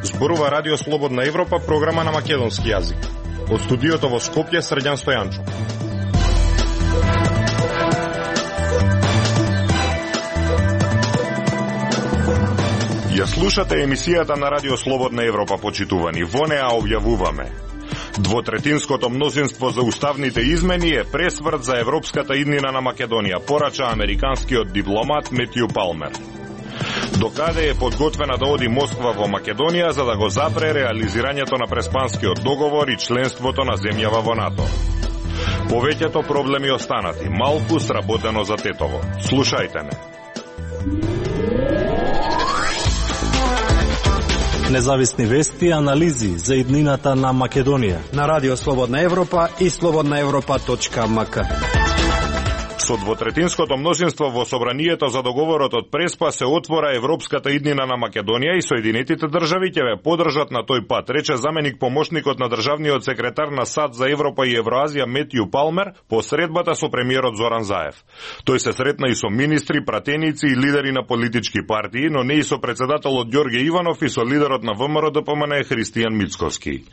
Зборува Радио Слободна Европа, програма на македонски јазик. Од студиото во Скопје, Срđan Стојанчо. Ја слушате емисијата на Радио Слободна Европа, почитувани. Во неа објавуваме: двотретинското мнозинство за уставните измени е пресврт за европската иднина на Македонија, порача американскиот дипломат Метју Палмер. Докаде е подготвена да оди Москва во Македонија за да го запре реализирањето на Преспанскиот договор и членството на земјава во НАТО. Повеќето проблеми останати, малку сработено за Тетово. Слушајте ме. Независни вести и анализи за иднината на Македонија на Радио Слободна Европа и slobodnaevropa.mk. Со двотретинското мнозинство во собранието за договорот од Преспа се отвора европската иднина на Македонија и Соединетите држави ќе ве поддржат на тој пат, рече заменик помошникот на државниот секретар на САД за Европа и Евроазија Метју Палмер по средбата со премиерот Зоран Заев. Тој се сретна и со министри, пратеници и лидери на политички партии, но не и со председателот Ѓорѓе Иванов и со лидерот на ВМРО-ДПМН Христијан Мицковски.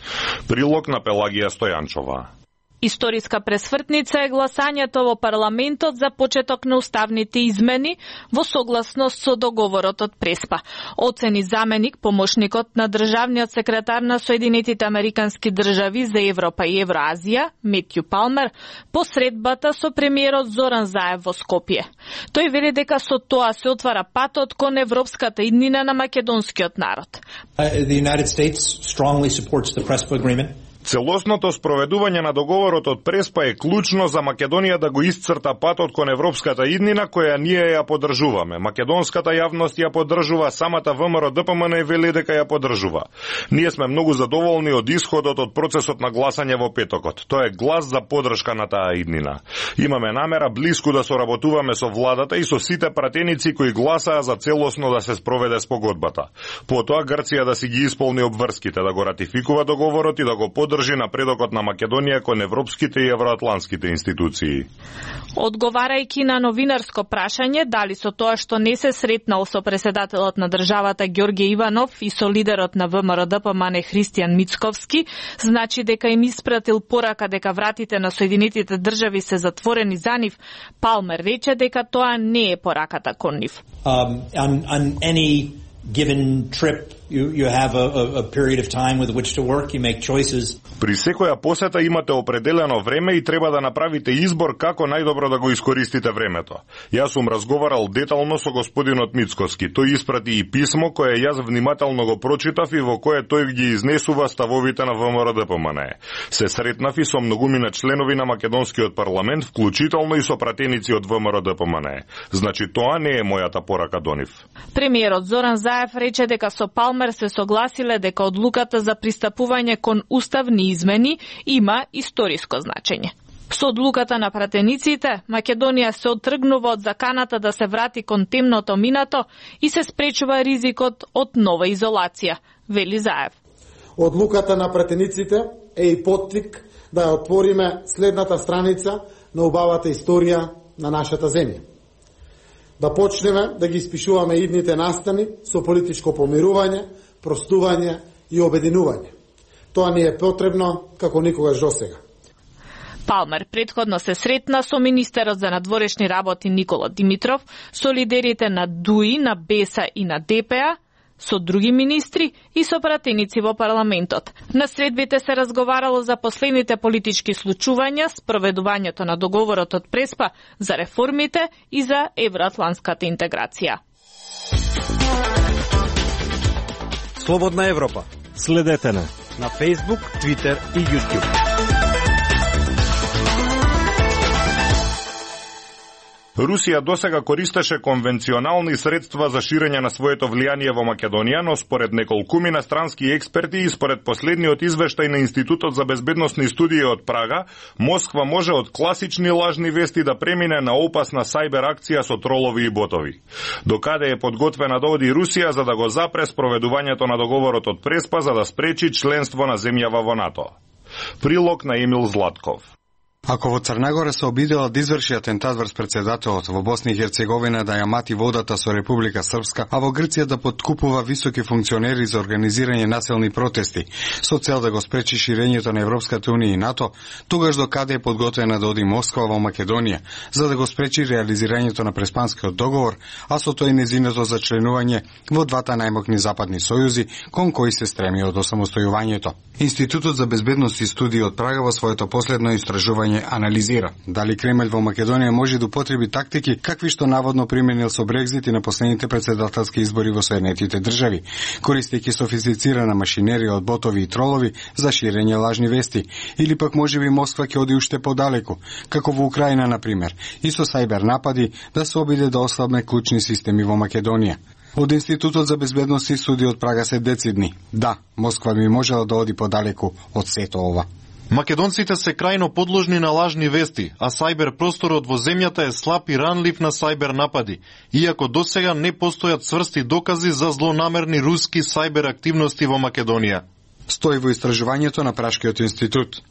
Прилог на Пелагија Стојанчова. Историска пресвртница е гласањето во парламентот за почеток на уставните измени во согласност со договорот од Преспа. Оцени заменик, помошникот на државниот секретар на Соединетите Американски држави за Европа и Евроазија, Метју Палмер, по средбата со премиерот Зоран Заев во Скопје. Тој вели дека со тоа се отвара патот кон европската иднина на македонскиот народ. The United States strongly supports the Prespa agreement. Целосното спроведување на договорот од Преспа е клучно за Македонија да го исцрта патот кон европската иднина која ние ја поддржуваме. Македонската јавност ја поддржува, самата ВМРО-ДПМН вели дека ја поддржува. Ние сме многу задоволни од исходот од процесот на гласање во петокот. Тоа е глас за поддршка на таа иднина. Имаме намера блиску да соработуваме со владата и со сите пратеници кои гласаа за целосно да се спроведе спогодбата. Потоа Грција да си ги исполни обврските, да го ратификува договорот и да го држи напредокот на Македонија кон европските и евроатлантските институции. Одговарајќи на новинарско прашање дали со тоа што не се сретнал со председателот на државата Ѓорѓе Иванов и со лидерот на ВМРО-ДПМН Христијан Мицковски, значи дека им испратил порака дека вратите на Соединетите држави се затворени за нив, Палмер рече дека тоа не е пораката кон нив. On any given trip you have a period of time with which to work, you make choices. При секоја посета имате определено време и треба да направите избор како најдобро да го искористите времето. Јас сум разговарал детално со господинот Мицковски. Тој испрати и писмо кое јас внимателно го прочитав и во кое тој ги изнесува ставовите на ВМРО-ДПМН. Се сретнав и со многумина членови на македонскиот парламент, вклучително и со пратеници од ВМРО-ДПМН. Значи тоа не е мојата порака до нив. Премиерот Зоран Заев рече дека со Палмер се согласиле дека одлуката за пристапување кон уставни измени има историско значење. Со одлуката на пратениците, Македонија се оттргнува од заканата да се врати кон темното минато и се спречува ризикот од нова изолација, вели Заев. Одлуката на пратениците е и поттик да ја отвориме следната страница на убавата историја на нашата земја. Да почнеме да ги испишуваме идните настани со политичко помирување, простување и обединување. Тоа ни е потребно како никогаш досега. Палмер претходно се сретна со министерот за надворешни работи Никола Димитров, со лидерите на ДУИ, на БЕСА и на ДПА, со други министри и со пратеници во парламентот. На средбите се разговарало за последните политички случувања, спроведувањето на договорот од Преспа, за реформите и за евроатлантската интеграција. Слободна Европа. Следете на Facebook, Twitter и YouTube. Русија досега користеше конвенционални средства за ширење на своето влијание во Македонија, но според неколкумина странски експерти и според последниот извештај на Институтот за безбедносни студии од Прага, Москва може од класични лажни вести да премине на опасна сајбер акција со тролови и ботови. Докаде е подготвена да оди Русија за да го запре спроведувањето на договорот од Преспа за да спречи членство на земјава во НАТО. Прилог на Емил Златков. Ако во Црна Гора се обидела да изврши атентат врз председателот, во Босна и Херцеговина да ја мати водата со Република Српска, а во Грција да подкупува високи функционери за организирање населни протести, со цел да го спречи ширењето на Европската унија и НАТО, тогаш до каде е подготвена да оди Москва во Македонија, за да го спречи реализирањето на Преспанскиот договор, а со тој незиното зачленување во двата најмокни западни сојузи, кон кои се стреми од осамостојувањето. Институтот за безбедност и студии од Прага во своето последно истражување анализира дали Кремљ во Македонија може да употреби тактики какви што наводно применил со Брекзит и на последните председателски избори во Соединетите држави, користејќи софистицирана машинерија од ботови и тролови за ширење лажни вести, или пак можеби Москва ќе оди уште подалеку, како во Украина на пример, и со сајбер напади да се обиде да ослабне клучни системи во Македонија. Од Институтот за безбедност и студии од Прага се децидни. Да, Москва би можела да оди подалеку од сето ова. Македонците се крајно подложни на лажни вести, а сајбер просторот во земјата е слаб и ранлив на сајбер напади, иако досега не постојат цврсти докази за злонамерни руски сајбер активности во Македонија. Стои во истражувањето на Прашкиот институт.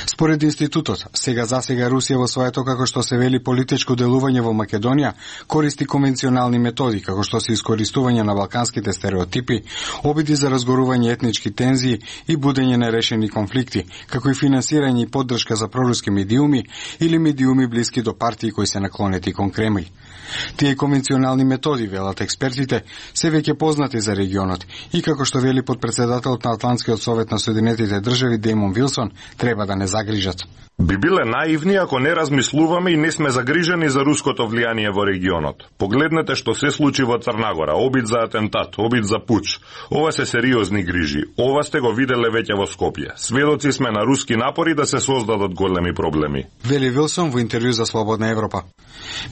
Според институтот, засега Русија во своето, како што се вели, политичко делување во Македонија, користи конвенционални методи, како што се искористување на балканските стереотипи, обиди за разгорување етнички тензии и будење на решени конфликти, како и финансирање и поддршка за проруски медиуми или медиуми блиски до партии кои се наклонети кон Кремљ. Тие конвенционални методи, велат експертите, се веќе познати за регионот и, како што вели подпредседателот на Атлантскиот совет на Соединетите држави Деймон Вилсон, треба да не загрижат. Би биле наивни ако не размислуваме и не сме загрижени за руското влијание во регионот. Погледнете што се случи во Црна Гора, обид за атентат, обид за пуч. Ова се сериозни грижи. Ова сте го виделе веќе во Скопје. Сведоци сме на руски напори да се создадат големи проблеми. Вели Вилсон во интервју за Слободна Европа.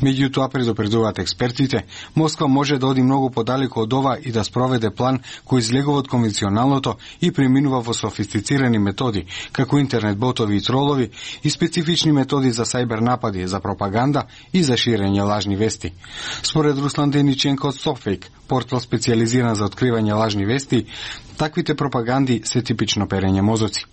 Меѓутоа, предупредуваат експертите, Москва може да оди многу подалеку од ова и да спроведе план кој излегува од конвенционалното и преминува во софистицирани методи, како интернет ботови и тролови, и специфични методи за сајбер напади, за пропаганда и за ширење лажни вести. Според Руслан Дениченко од Софейк, портал специализиран за откривање лажни вести, таквите пропаганди се типично перење мозоци.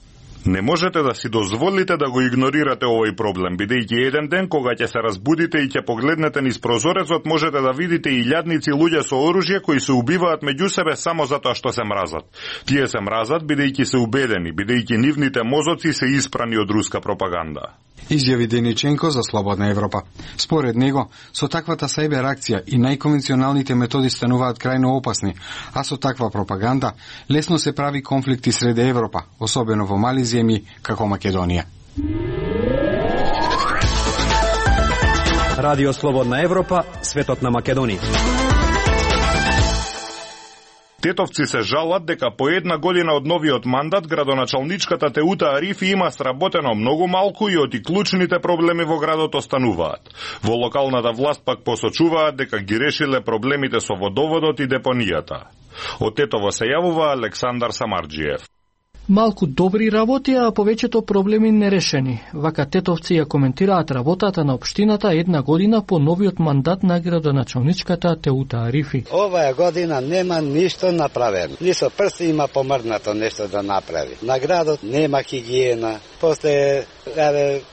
Не можете да си дозволите да го игнорирате овој проблем, бидејќи еден ден кога ќе се разбудите и ќе погледнете низ прозорецот, можете да видите илјадници луѓе со оружје кои се убиваат меѓу себе само затоа што се мразат. Тие се мразат бидејќи се убедени, бидејќи нивните мозоци се испрани од руска пропаганда. Изјави Дениченко за Слободна Европа. Според него, со таквата сајбер акција и најконвенционалните методи стануваат крајно опасни, а со таква пропаганда лесно се прави конфликти сред Европа, особено во мали земји како Македонија. Радио Слободна Европа, светот на Македонија. Тетовци се жалат дека по една година од новиот мандат градоначалничката Теута Арифи има сработено многу малку и оти клучните проблеми во градот остануваат. Во локалната власт пак посочуваат дека ги решиле проблемите со водоводот и депонијата. Од Тетово се јавува Александар Самарџиев. Малку добри работи, а повеќето проблеми нерешени. Вака тетовци ја коментираат работата на општината една година по новиот мандат на градоначалничката Теута Арифи. Оваа година нема ништо направено. Ни со прсти има помрднато нешто да направи. На градот нема хигиена, после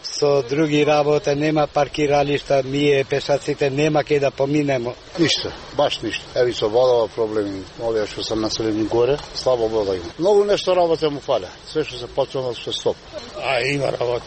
со други работи нема паркиралишта, ние пешаците нема кај да поминемо. Ништо, баш ништо. Еви со водова проблеми, овие што се населени горе, слабо вода има. Многу нешто работа му фале. Се што се почнало со стоп. А има работа.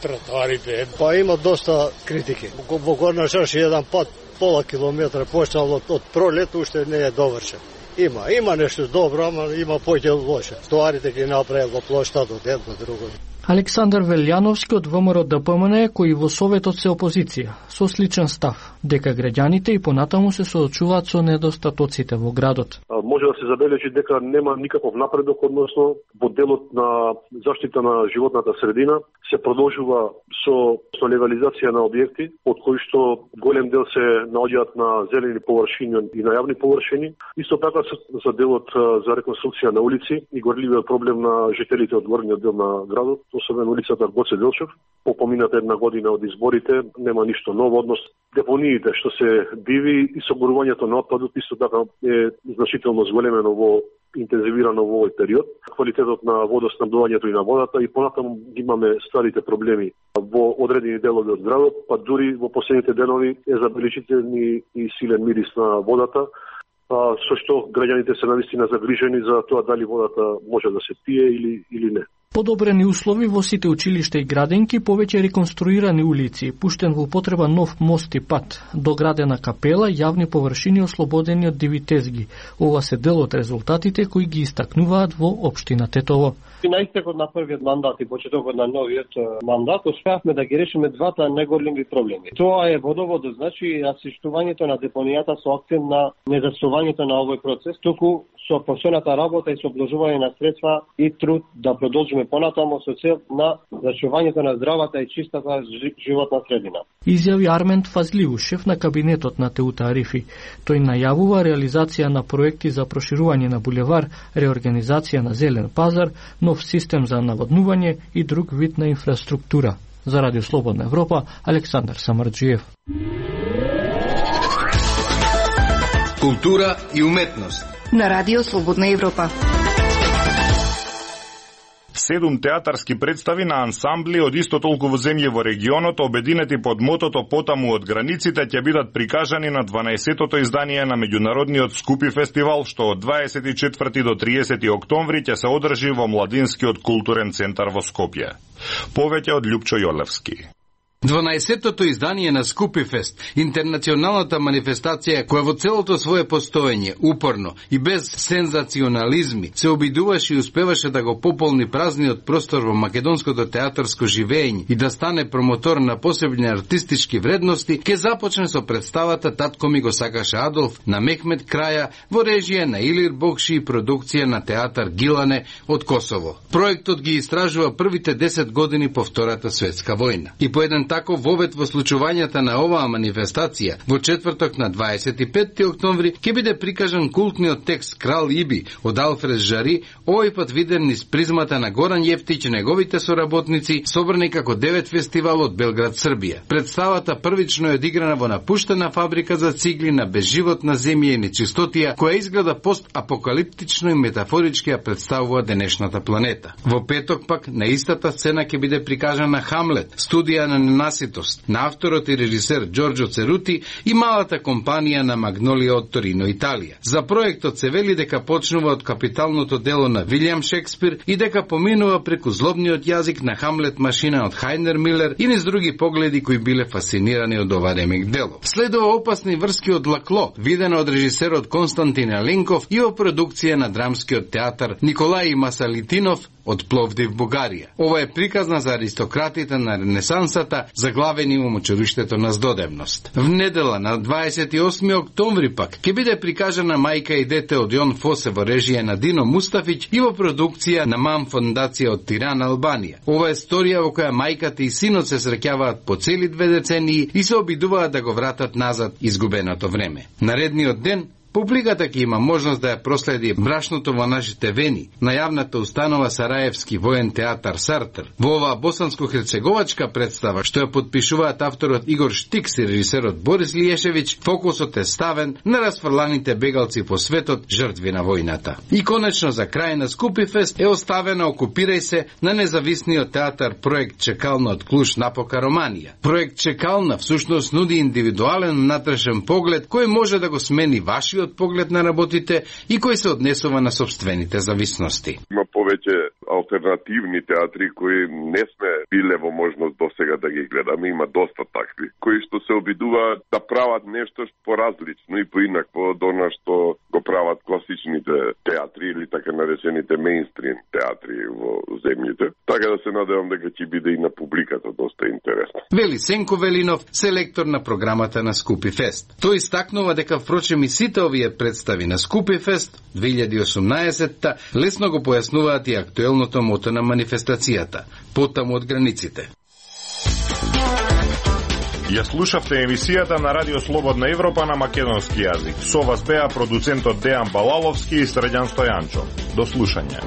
Тротоарите. Па има доста критики. Во Горна Шорши еден пат пола километра почнал од пролет уште не е довршен. Има нешто добро, ама има поќе лошо. Тротоарите ги направил во плоштадот едно друго. Александар Велјановски од ВМРО ДПМН, кој во Советот се опозиција, со сличен став, дека граѓаните и понатаму се соочуваат со недостатоците во градот. Може да се забележи дека нема никаков напредок, односно во делот на заштита на животната средина се продолжува со легализација на објекти, од кои што голем дел се наоѓаат на зелени површини и на јавни површини. Исто така за делот за реконструкција на улици и горливиот проблем на жителите од горниот дел на градот, особено улицата Гоце Делчев. По помината една година од изборите нема ништо ново, однос депониите што се диви и соборувањето на отпадот исто така е значително зголемено интензивирано во овој период. Квалитетот на водоснабдувањето и на водата и понатаму имаме старите проблеми во одредени делови од градот, па дури во последните денови е забележителни и силен мирис на водата, со што граѓаните се навистина загрижени за тоа дали водата може да се пие или не. Подобрени услови во сите училишта и градинки, повеќе реконструирани улици, пуштен во употреба нов мост и пат, доградена капела, јавни површини ослободени од диви тезги. Ова се дел од резултатите кои ги истакнуваат во општина Тетово. И на истекот на првиот мандат и почетокот на новиот мандат успеавме да ги решиме двата најголеми проблеми. Тоа е водоводот, значи асиштувањето на депонијата со акцент на незасувањето на овој процес, туку со посебната работа и со обложување на средства и труд да продолжиме понатаму со цел на зачувањето на здравата и чистата животна средина. Изјави Армент Фазлиу, шеф на кабинетот на Теута Арифи. Тој најавува реализација на проекти за проширување на булевар, реорганизација на зелен пазар, нов систем за наводнување и друг вид на инфраструктура. За Радио Слободна Европа, Александар Самарджиев. Култура и уметност на Радио Слободна Европа. 7 театарски представи на ансамбли од исто толку земји во регионот, обединети под мотото "Потаму од границите", ќе бидат прикажани на 12-тото издание на меѓународниот Скупи фестивал, што од 24 до 30 октомври ќе се одржи во Младинскиот културен центар во Скопје. Повеќе од Љупчо Јолевски. 12-тото издание на Скупи фест, интернационалната манифестација која во целото свое постоење, упорно и без сензационализми, се обидуваше и успеваше да го пополни празниот простор во македонското театарско живење и да стане промотор на посебни артистички вредности, ке започне со представата "Татко ми го сакаше Адолф" на Мехмет Краја во режија на Илир Бокши и продукција на театар Гилане од Косово. Проектот ги истражува првите 10 години по Втората светска војна. И по еден таков вовет во случувањата на оваа манифестација, во четврток на 25 октомври ќе биде прикажан култниот текст "Крал Иби" од Алфред Жари, овој пат виден низ призмата на Горан Јефтич и неговите соработници, собрани како 9 фестивал од Белград, Србија. Представата првично е одиграна во напуштена фабрика за цигли на безживотна земја и нечистотија, која изгледа постапокалиптично и метафорички ја представува денешната планета. Во петок пак на истата сцена ќе биде прикажана Хамлет, студија на ненаситост, на авторот и режисер Ѓорџо Церути и малата компанија на Магнолија од Торино, Италија. За проектот се вели дека почнува од капиталното дело на Вилијам Шекспир и дека поминува преку злобниот јазик на Хамлет машина од Хајнер Милер и низ други погледи кои биле фасцинирани од ова ремек дело. Следува опасни врски од Лакло, видено од режисерот Константин Аленков и во продукција на драмскиот театар Николај Масалитинов од Пловдив, Бугарија. Ова е приказна за аристократите на Ренесансата, заглавени во мочуриштето на здодевност. В недела на 28 октомври пак ќе биде прикажана Мајка и дете од Јон Фосе во режија на Дино Мустафиќ и во продукција на МАМ фондација од Тиран, Албанија. Ова е сторија во која мајката и синот се среќаваат по цели 2 децении и се обидуваат да го вратат назад изгубеното време. Наредниот ден публиката ќе има можност да ја проследи брашното во нашите вени на јавната установа Сараевски воен театар Сартер. Во оваа босанско-херцеговачка представа, што ја подпишуваат авторот Игор Штикс и режисерот Борис Лиешевиќ, фокусот е ставен на расфрланите бегалци по светот, жртви на војната. И конечно за крај на Скупи фест е оставена "Окупирај се" на независниот театар проект Чекална од Клуш напока Романија. Проект Чекална всушност нуди индивидуален внатрешен поглед кој може да го смени вашиот поглед на работите и кој се однесува на собствените зависности. Има повеќе алтернативни театри кои не сме биле во можност досега да ги гледаме, има доста такви, кои што се обидуваат да прават нешто поразлично и поинакво од она што го прават класичните театри или така наречените мејнстрим театри во земјите. Така да се надевам дека ќе биде и на публиката доста интересно. Вели Сенко Велинов, селектор на програмата на Скупи фест. Тој истакнува дека впрочем и сите овие представи на Скупи фест 2018-та лесно го појаснуваат и актуелното мото на манифестацијата "Потаму од границите". Ја слушавте емисијата на Радио Слободна Европа на македонски јазик. Со вас беа продуцентот Дејан Балаловски и Средјан Стојанчо. До слушање.